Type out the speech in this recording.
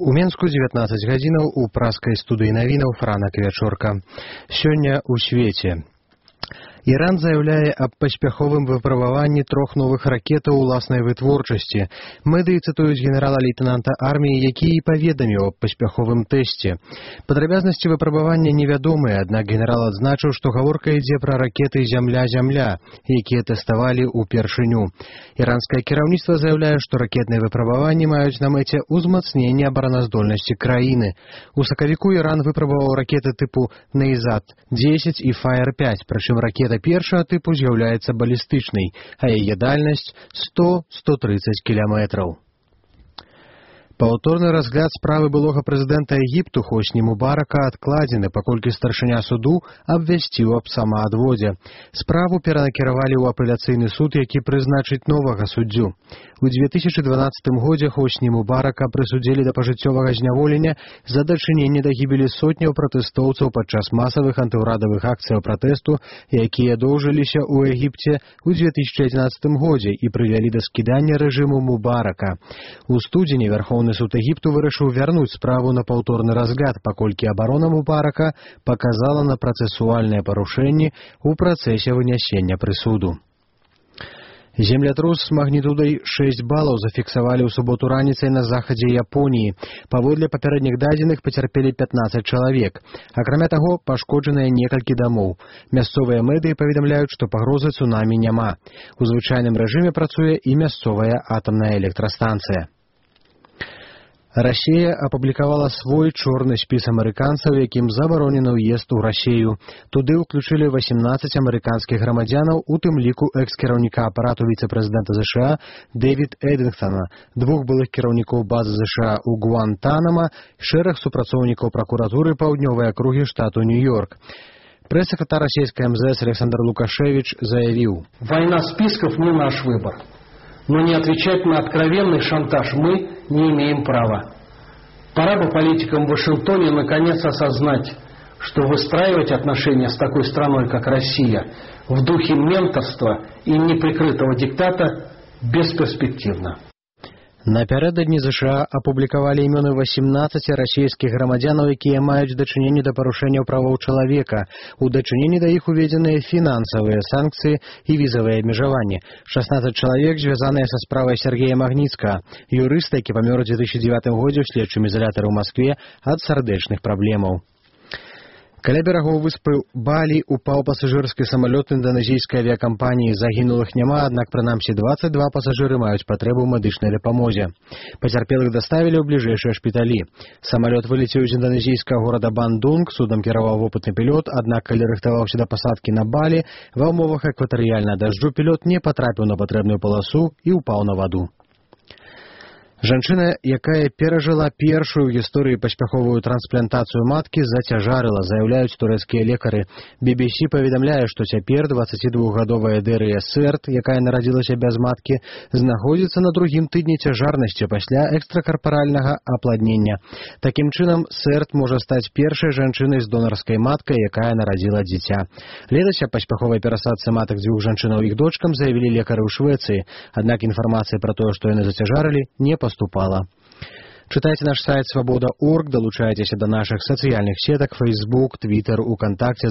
У Менску 19 гадзінаў у праскай студыі навінаў Франак Вячорка. Сёння ў свеце. Іран заяўляе аб паспяховым выпрабаванні 3 новых ракетаў уласнай вытворчасці. Медыі цытуюць генерала-лейтенанта арміі, які і паведаміў аб паспяховым тэсце. Падрабязнасці выпрабавання невядомыя, аднак генерал адзначыў, што гаворка ідзе пра ракеты «Зямля-Зямля», якія тэставалі ўпершыню. Іранскае кіраўніцтва заяўляе, што ракетныя выпрабаванні маюць на мэце ўзмацненне абараназдольнасці краіны. У сакавіку Іран выпрабаваў ракеты тыпу «Нейзад-10» і «Фаер-5», прычым ракета першага тыпу з'яўляецца балістычнай, а яе дальнасць 100-130 кіламетраў. Паўторны разгляд справы былога прэзідэнта Егіпту Хосні Мубарака адкладзены, паколькі старшыня суду абвясціў аб самаадводзе. Справу перанакіравалі ў апеляцыйны суд, які прызначыць новага суддзю. У 2012 годзе Хосні Мубарака прысудзілі да пажыццёвага зняволення за дачыненне да гібелі сотняў пратэстоўцаў падчас масавых антыўрадавых акцыяў пратэсту, якія доўжыліся ў Егіпце ў 2011 годзе і прывялі да скідання рэжыму Мубарака. У студзені Верховны суд Егіпту вырашыў вярнуць справу на паўторны разгляд, паколькі абарона Мубарака паказала на працэсуальныя парушэнні ў працэсе вынясення прысуду. Землятрус з магнітудай 6 балаў зафіксавалі ў суботу раніцай на захадзе Японіі. Паводле папярэдніх дадзеных пацярпелі 15 чалавек. Акрамя таго, пашкоджаныя некалькі дамоў. Мясцовыя медыі паведамляюць, што пагрозы цунамі няма. У звычайным рэжыме працуе і мясцовая атамная электрастанцыя. Расія апублікавала свой чорны спіс амерыканцаў, якім забаронены ўезд у Расію. Туды ўключылі 18 амерыканскіх грамадзянаў, у тым ліку экс-кіраўніка апарату віцэ-прэзідэнта США Дэвід Эдынгтона, 2 былых кіраўнікоў базы США ў Гуантанама, шэраг супрацоўнікаў пракуратуры паўднёвай акругі штату Нью-Йорк. Прэс-сакратар расійскай МЗС Александр Лукашевич заявіў: «Война списков не наш выбор. Но не отвечать на откровенный шантаж мы не имеем права. Пора бы политикам в Вашингтоне наконец осознать, что выстраивать отношения с такой страной, как Россия, в духе менторства и неприкрытого диктата бесперспективно». Напярэдадні США апублікавалі імёны 18 расійскіх грамадзянаў, якія маюць дачыненне да парушэнняў правоў чалавека. У дачыненні да іх уведзеныя фінансавыя санкцыі і візавыя абмежаванні. 16 чалавек звязаныя са справай Сергея Магніцкага, юрыста, які памёр у 2009 годзе ў следчым ізалятары ў Маскве ад сардэчных праблемаў. Каля берагоў выспы Балі упаў пасажырскі самалёт інданезійскай авіякампаніі. Загінулых няма, аднак прынамсі 22 пасажыры маюць патрэбу ў медычнай дапамозе. Пацярпелых даставілі ў бліжэйшыя шпіталі. Самалёт вылецеў з інданезійскага горада Бандунг, судам кіраваў вопытны пілот, аднак калі рыхтаваўся да пасадкі на Балі, ва ўмовах экватарыяльнага дажджу пілот не патрапіў на патрэбную паласу і ўпаў на ваду. Жанчына, якая перажыла першую ў гісторыі паспяховую трансплантацыю маткі, зацяжарыла, заяўляюць турэцкія лекары. BBC паведамляе, што цяпер 22гадовая Дэрыя Сэрт, якая нарадзілася без маткі, знаходзіцца на другім тыдні цяжарнасці пасля экстракарпаральнага апладнення. Такім чынам, Сэрт можа стаць першай жанчынай з донарскай маткай, якая нарадзіла дзіця. Летась аб паспяховай перасадцы матак 2 жанчынаў і іх дочкам заявілі лекары ў Швецыі, аднак інфармацыя пра тое, што яны зацяжарылі, не поступала. Читайте наш сайт свобода.орг, долучайтесь до наших социальных сеток Facebook, Twitter, ВКонтакте.